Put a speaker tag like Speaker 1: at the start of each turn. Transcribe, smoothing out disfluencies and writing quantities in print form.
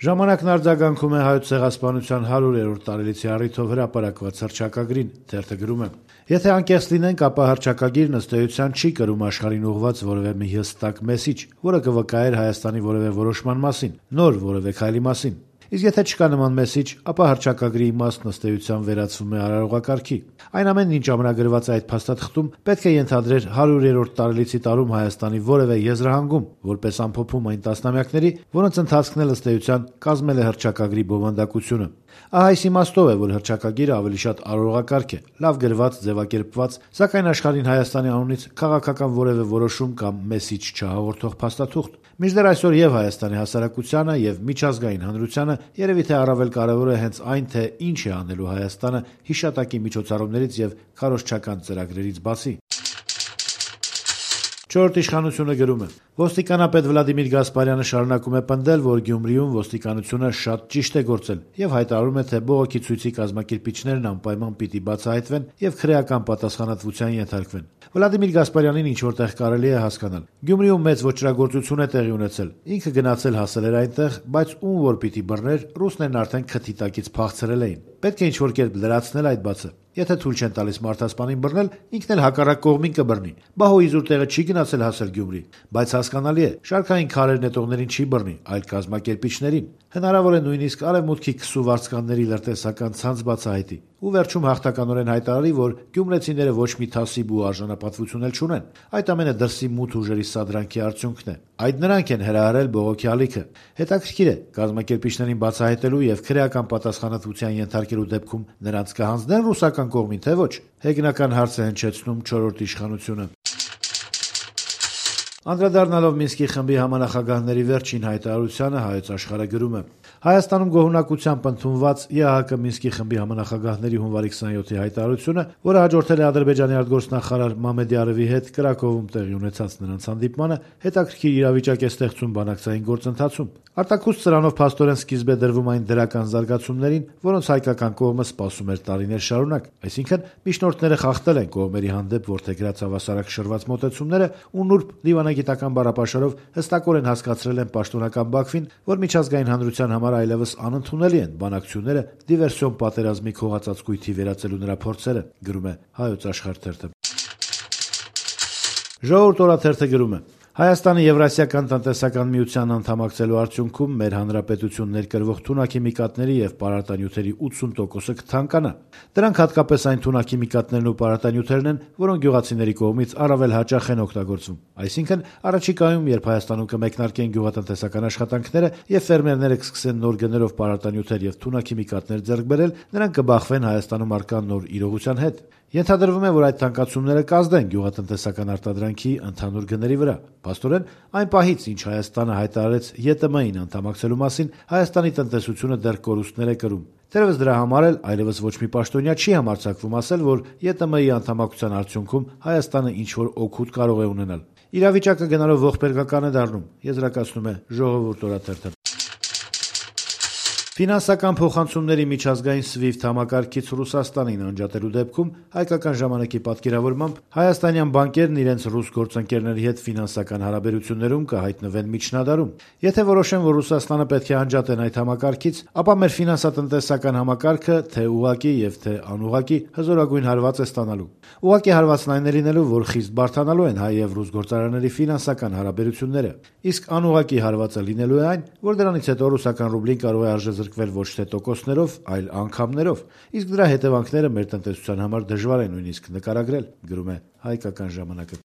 Speaker 1: Ժամանակն արձագանքում է Հայոց ցեղասպանության 100-րդ տարելիցի առիթով հրապարակված հռչակագրին, թերթը գրում է. «Եթե անկեղծ լինենք, ապա հռչակագիրն ըստ էության չի կրում աշխարհին ուղղված որևէ մի հստակ մեսիջ, որը կվկայեր Հայաստանի որևէ որոշման մասին, նոր որևէ քայլի մասին։ Իսկ եթե չկա նման մեսիջ, ապա հռչակագրի իմաստն ըստ էության վերածվում է արարողակարգի։ Այն ամենն, ինչ ամրագրված է այդ փաստաթղթում, պետք է ենթադրեր 100-րդ տարելիցի տարում Հայաստանի որևէ եզրահանգում, որպես ամփոփում այն տասնամյակների, որոնց ընթացքն էլ ըստ էության կազմել է հռչակագրի բովանդակությունը։ Ահա այս իմաստով է, որ հռչակագիրը ավելի շատ արարողակարգ է, լավ գրված, ձևակերպված, սակայն աշխարհին Հայաստանի անունից քաղաքական որևէ որոշում կամ մեսիջ չհաղորդող փաստաթուղթ։ Մինչդեռ այսօր եւ Հայաստանի հասարակությանը եւ միջազգային հանրությանը երևի թե առավել կարեւոր է հենց այն, թե ինչ է անելու Հայաստանը հիշատակի միջոցառումներից եւ քարոզչական ծրագրերից բացի։ Չորրորդ իշխանությունը գրում է. «Ոստիկանապետ Վլադիմիր Գասպարյանը շարունակում է պնդել, որ Գյումրիում ոստիկանությունը շատ ճիշտ է գործել եւ հայտարարում է, թե բողոքի ցույցի կազմակերպիչներն անպայման պիտի բացահայտվեն եւ քրեական պատասխանատվության ենթարկվեն։ Վլադիմիր Գասպարյանին ինչ որտեղ կարելի է հասկանալ։ Գյումրիում մեծ ոճրագործություն է տեղի ունեցել։ Ինքը գնացել հասել էր այնտեղ, բայց ում որ պիտի բռներ, ռուսներն արդեն քթի տակից փախցրել էին։ Պետք է ինչ որ կերպ լրացնել այդ բացը։ Եթե թույլ չեն տալիս մարդասպանին բռնել, ինքն էլ հակառակ կողմին կբռնի։ Բա հո իզուր տեղը չի գնացել հասել Գյումրի, բայց հասկանալի է, շարքային քարեր նետողներին չի բռնի, այլ կազմակերպիչներին։ Հնարավոր է նույնիսկ արևմուտքի քսու վարձկանների լրտեսական ցանց բացահայտի։ Ու վերջում հաղթականորեն հայտարարի, որ գյումրեցիները ոչ մի թասիբ ու արժանապատվություն էլ չունեն։ Այդ ամենը դրսի մութ ուժերի սադրանքի արդյունքն է։ Այդ նրանք են հրահրել բողոքի ալիքը։ Հետաքրքիր է, կազմակերպիչներին բացահայտելու եւ քրեական պատասխանատվության ենթարկելու դեպքում նրանց կհանձնեն ռուսական կողմին, թե ոչ։ Հեգնական հարց է հնչեցնում չորրորդ իշխանությունը»։ Անդրադառնալով Մինսկի խմբի համանախագահների վերջին հայտարարությանը, Հայոց աշխարհը գրում է. «Հայաստանում գոհունակությամբ ընդունված ԵԱՀԿ Մինսկի խմբի համանախագահների հունվարի 27-ի հայտարարությունը, որը հաջորդել է Ադրբեջանի արտգործնախարար Մամեդյարովի հետ Կրակովում տեղի ունեցած նրանց հանդիպմանը, հետաքրքիր իրավիճակ է ստեղծում բանակցային գործընթացում։ Արտաքուստ սրանով փաստորեն սկիզբ է դրվում այն դրական զարգացումներին, որոնց հայկական կողմը սպասում էր տարիներ շարունակ, այսինքն միջնորդները խախտել են կողմերի հանդեպ որդեգրած հավասարակշռված մոտեցումները ու նուրբ դիվանագիտական բառապաշարով հստակորեն հասկացրել են պաշտոնական Բաքվին, որ միջազգային հանրության համար այլևս անընդունելի են բանակցությունները դիվերսիոն պատերազմի քողածածկույթի վերածելու նրա փորձերը», գրում է Հայոց աշխարհ թերթը։ Ժողովուրդ օրաթերթը գրում է. «Հայաստանը Եվրասիական տնտեսական միության անդամակցելու արդյունքում մեր հանրապետություն ներկրվող թունաքիմիկատների եւ պարարտանյութերի 80%-ը կթանկանա։ Դրանք հատկապես այն թունաքիմիկատներն ու պարարտանյութերն են, որոնք գյուղացիների կողմից առավել հաճախ են օգտագործվում։ Այսինքն, առաջիկայում, երբ Հայաստանում կմեկնարկեն գյուղատնտեսական աշխատանքները եւ ֆերմերները կսկսեն նոր գներով պարարտանյութեր եւ թունաքիմիկատներ ձեռք բերել, նրանք կբախվեն Հայաստանում առկա նոր իրողության հետ։ Ենթադրվում է, որ այդ թանկացումները կազդեն գյուղատնտեսական արտադրանքի ընդհանուր գների վրա։ Փաստորեն, այն պահից, ինչ Հայաստանը հայտարարեց ԵՏՄ-ին անդամակցելու մասին, Հայաստանի տնտեսությունը դեռ կորուստներ է կրում։ Թերևս դրա համար էլ այլևս ոչ մի պաշտոնյա չի համարձակվում ասել, որ ԵՏՄ-ի անդամակցության արդյունքում Հայաստանը ինչ-որ օգուտ կարող է ունենալ։ Իրավիճակը գնալով ողբերգական է դառնում, եզրակացնում է Ժողովուրդ օրաթերթը։ Ֆինանսական փոխանցումների միջազգային SWIFT համակարգից Ռուսաստանին անջատելու դեպքում Հայկական ժամանակի պատկերավորմամբ հայաստանյան բանկերն իրենց ռուս գործընկերների հետ ֆինանսական հարաբերություններում կհայտնվեն միջնադարում։ Եթե որոշեն, որ Ռուսաստանը պետք է անջատեն այդ համակարգից, ապա մեր ֆինանսատնտեսական համակարգը թե ուղղակի եւ թե անուղղակի հզորագույն հարված է ստանալու։ Ուղղակի հարվածն այն է լինելու, որ խիստ բարդանալու են հայ եւ ռուս գործարանների ֆինանսական հարաբերությունները։ Իսկ անուղղակի հարվածը լինելու է այն, որ դրանից հետո ռուսական ռուբլին կարող է արժեզրկվել ոչ թե տոկոսներով, այլ անգամներով, իսկ դրա հետևանքները մեր տնտեսության համար դժվար է նույնիսկ նկարագրել, գրում է Հայկական ժամանակը։